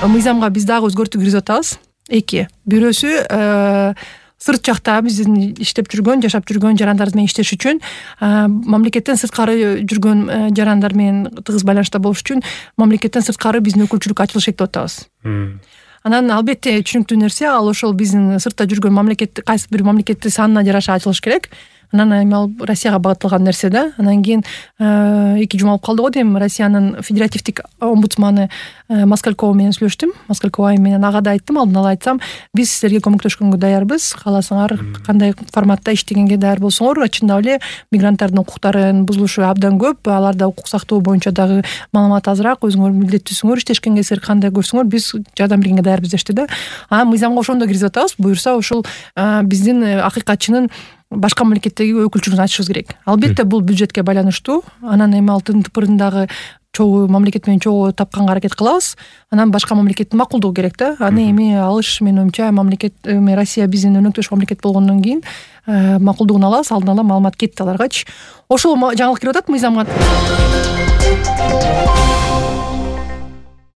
мыйзамга биз дагы өзгөртүү киргизип атабыз. Эки. Бирөөсү сырт жакта биздин иштеп жүргөн, жашап жүргөн жарандарыбыз менен иштеш үчүн мамлекеттен сырткары жүргөн жарандар менен тыгыз байланышта болуш үчүн мамлекеттен сырткары биздин өкүлчүлүк ачылышы деп атабыз. Анан албетте түшүнүктүү нерсе, ал ошол биздин сыртта жүргөн мамлекет кайсы бир мамлекеттин санына жараша ачылыш керек. Анан эми ал Россияга багытталган нерсе да. Анан кийин 2 жума болуп калды го дейм, Россиянын федеративдик омбудсманы Москалькова менен сүйлөштүм. Москалькова менен ага да айттым, алдын ала айтсам, биз силерге көмөктөшкөнгө даярбыз. Кааласаңар кандай форматта иштегенге даяр болсоңор, чындап эле мигранттардын укуктарынын бузулушу абдан көп. Аларда укук сактоо боюнча дагы маалымат азыраак, өзүңөр милдеттүүсүңөр, иштешкенге силер кандай көрсөңөр, биз жардам бергенге даярбыз дешти да. Мыйзамга ошондо киргизип атабыз. Буюрса ошол биздин акыйкатчынын башка мамлекеттеги өкүлчүлүгүн ачышыбыз керек. Албетте бул бюджетке байланыштуу. Анан эми алтын тыпырындагы чогуу мамлекет менен чогуу тапканга аракет кылабыз. Анан башка мамлекеттин макулдугу керек да. Аны эми алыш, менин оюмча, мамлекет Россия биздин өнөктөш мамлекет болгондон кийин макулдугун алабыз, алдын ала маалымат кетти аларгачы. Ошол жаңылык кирип атат мыйзамга.